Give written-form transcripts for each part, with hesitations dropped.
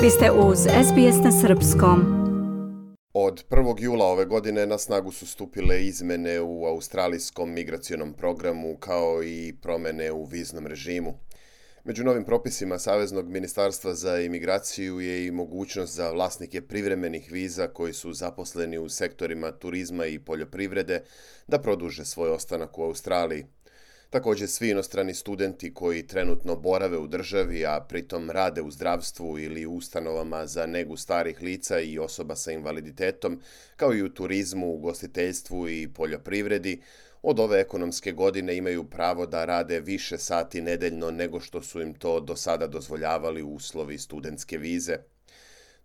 Vi ste uz SBS na srpskom. Od 1. jula ove godine na snagu su stupile izmene u australijskom migracionom programu kao i promjene u viznom režimu. Među novim propisima Saveznog ministarstva za imigraciju je i mogućnost za vlasnike privremenih viza koji su zaposleni u sektorima turizma i poljoprivrede da produže svoj ostanak u Australiji. Također svi inostrani studenti koji trenutno borave u državi, a pritom rade u zdravstvu ili u ustanovama za negu starih lica i osoba sa invaliditetom, kao i u turizmu, ugostiteljstvu i poljoprivredi, od ove ekonomske godine imaju pravo da rade više sati nedeljno nego što su im to do sada dozvoljavali uslovi studentske vize.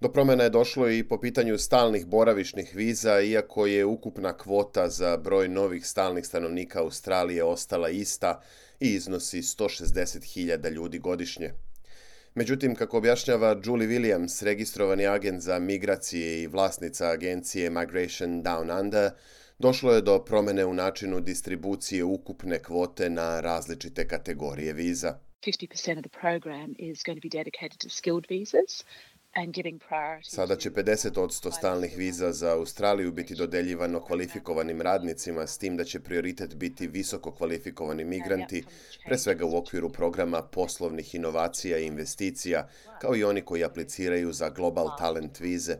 Do promjena je došlo i po pitanju stalnih boravišnih viza, iako je ukupna kvota za broj novih stalnih stanovnika Australije ostala ista i iznosi 160.000 ljudi godišnje. Međutim, kako objašnjava Julie Williams, registrovani agent za migracije i vlasnica agencije Migration Down Under, došlo je do promjene u načinu distribucije ukupne kvote na različite kategorije viza. 50% of the program is going to be dedicated to skilled visas. Sada će 50% stalnih viza za Australiju biti dodeljivano kvalifikovanim radnicima, s tim da će prioritet biti visoko kvalifikovani migranti, pre svega u okviru programa poslovnih inovacija i investicija, kao i oni koji apliciraju za Global Talent vize.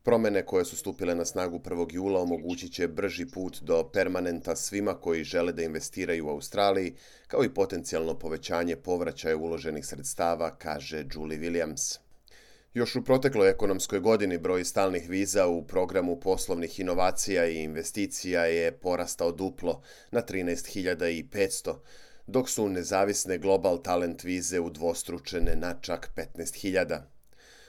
Promjene koje su stupile na snagu 1. jula omogućit će brži put do permanenta svima koji žele da investiraju u Australiji, kao i potencijalno povećanje povraćaja uloženih sredstava, kaže Julie Williams. Još u protekloj ekonomskoj godini broj stalnih viza u programu poslovnih inovacija i investicija je porastao duplo na 13.500, dok su nezavisne Global Talent vize udvostručene na čak 15.000.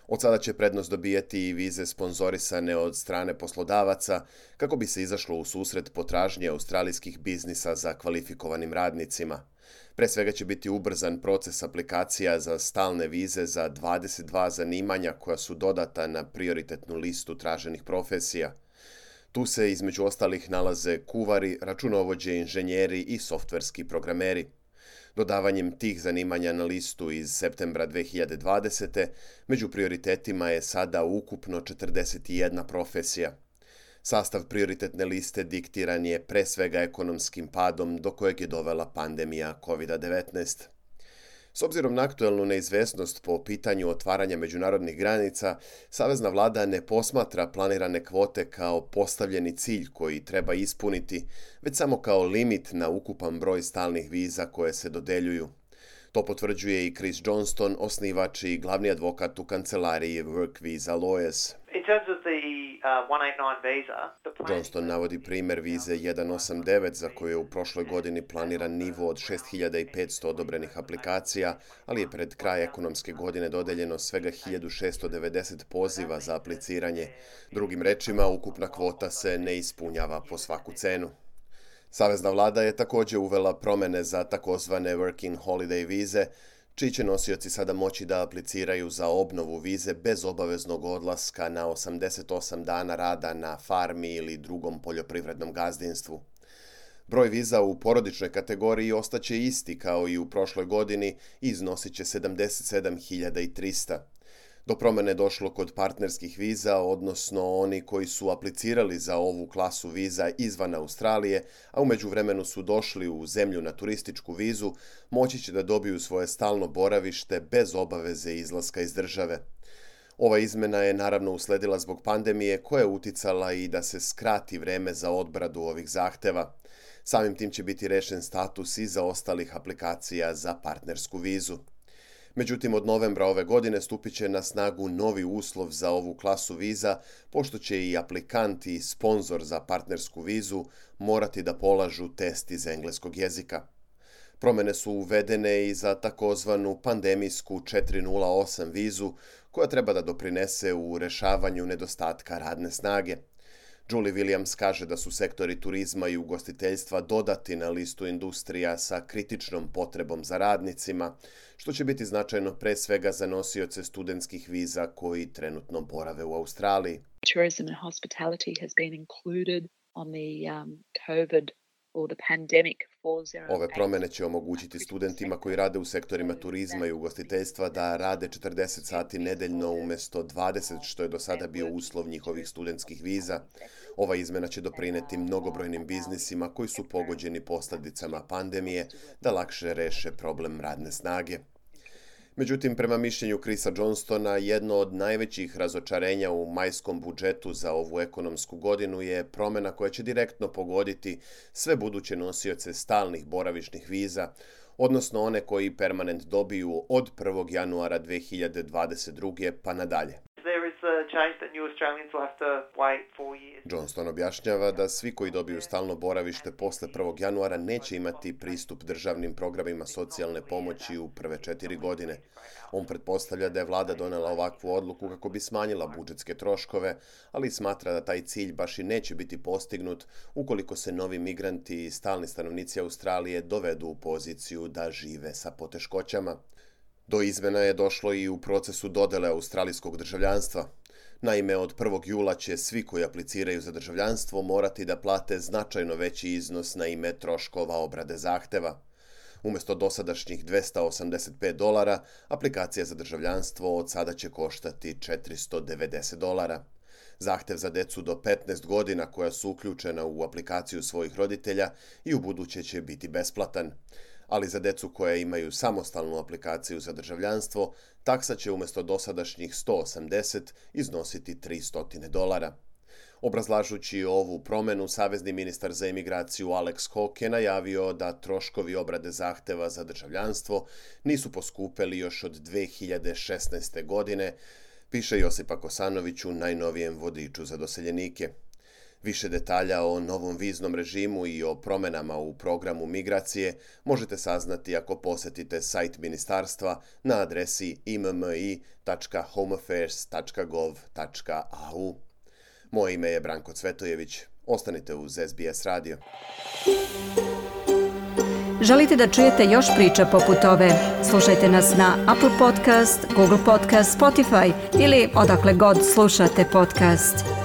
Od sada će prednost dobijeti i vize sponzorisane od strane poslodavaca kako bi se izašlo u susret potražnje australijskih biznisa za kvalifikovanim radnicima. Pre svega će biti ubrzan proces aplikacija za stalne vize za 22 zanimanja koja su dodata na prioritetnu listu traženih profesija. Tu se između ostalih nalaze kuvari, računovođe, inženjeri i softverski programeri. Dodavanjem tih zanimanja na listu iz septembra 2020. među prioritetima je sada ukupno 41 profesija. Sastav prioritetne liste diktiran je pre svega ekonomskim padom do kojeg je dovela pandemija COVID-19. S obzirom na aktuelnu neizvesnost po pitanju otvaranja međunarodnih granica, savezna vlada ne posmatra planirane kvote kao postavljeni cilj koji treba ispuniti, već samo kao limit na ukupan broj stalnih viza koje se dodeljuju. To potvrđuje i Chris Johnston, osnivač i glavni advokat u kancelariji Work Visa Lawyers. Johnston navodi primjer vize 189 za koju je u prošloj godini planiran nivo od 6.500 odobrenih aplikacija, ali je pred kraj ekonomske godine dodeljeno svega 1.690 poziva za apliciranje. Drugim rečima, ukupna kvota se ne ispunjava po svaku cenu. Savezna vlada je također uvela promjene za takozvane Working Holiday vize, čiji će nosioci sada moći da apliciraju za obnovu vize bez obaveznog odlaska na 88 dana rada na farmi ili drugom poljoprivrednom gazdinstvu. Broj viza u porodičnoj kategoriji ostaće isti kao i u prošloj godini i iznosit će 77.300. Do promjene došlo kod partnerskih viza, odnosno oni koji su aplicirali za ovu klasu viza izvan Australije, a u međuvremenu su došli u zemlju na turističku vizu, moći će da dobiju svoje stalno boravište bez obaveze izlaska iz države. Ova izmena je naravno usledila zbog pandemije koja je uticala i da se skrati vreme za odbradu ovih zahteva. Samim tim će biti rešen status i za ostalih aplikacija za partnersku vizu. Međutim, od novembra ove godine stupit će na snagu novi uslov za ovu klasu viza, pošto će i aplikant i sponzor za partnersku vizu morati da polažu test iz engleskog jezika. Promjene su uvedene i za takozvanu pandemijsku 408 vizu, koja treba da doprinese u rešavanju nedostatka radne snage. Julie Williams kaže da su sektori turizma i ugostiteljstva dodati na listu industrija sa kritičnom potrebom za radnicima, što će biti značajno pre svega za nosioce studentskih viza koji trenutno borave u Australiji. Tourism and hospitality has been included on the COVID or the pandemic Ove promjene će omogućiti studentima koji rade u sektorima turizma i ugostiteljstva da rade 40 sati nedeljno umjesto 20 što je do sada bio uslov njihovih studentskih viza. Ova izmjena će doprinijeti mnogobrojnim biznisima koji su pogođeni posljedicama pandemije da lakše reše problem radne snage. Međutim, prema mišljenju Chrisa Johnstona, jedno od najvećih razočarenja u majskom budžetu za ovu ekonomsku godinu je promjena koja će direktno pogoditi sve buduće nosioce stalnih boravišnih viza, odnosno one koji permanent dobiju od 1. januara 2022. pa nadalje. Johnston objašnjava da svi koji dobiju stalno boravište posle 1. januara neće imati pristup državnim programima socijalne pomoći u prve 4 godine. On pretpostavlja da je vlada donela ovakvu odluku kako bi smanjila budžetske troškove, ali smatra da taj cilj baš i neće biti postignut ukoliko se novi migranti i stalni stanovnici Australije dovedu u poziciju da žive sa poteškoćama. Do izmjena je došlo i u procesu dodele australijskog državljanstva. Naime, od 1. jula će svi koji apliciraju za državljanstvo morati da plate značajno veći iznos na ime troškova obrade zahteva. Umjesto dosadašnjih $285, aplikacija za državljanstvo od sada će koštati $490. Zahtev za decu do 15 godina koja su uključena u aplikaciju svojih roditelja i ubuduće će biti besplatan. Ali za decu koja imaju samostalnu aplikaciju za državljanstvo, taksa će umjesto dosadašnjih $180 iznositi $300. Obrazlažući ovu promjenu, savezni ministar za imigraciju Alex Hawke je najavio da troškovi obrade zahteva za državljanstvo nisu poskupeli još od 2016. godine, piše Josipa Kosanović u najnovijem vodiču za doseljenike. Više detalja o novom viznom režimu i o promjenama u programu migracije možete saznati ako posjetite sajt ministarstva na adresi immi.homeaffairs.gov.au. Moje ime je Branko Cvetojević. Ostanite uz SBS radio. Želite da čujete još priča poput ove? Slušajte nas na Apple Podcast, Google Podcast, Spotify ili odakle god slušate podcast.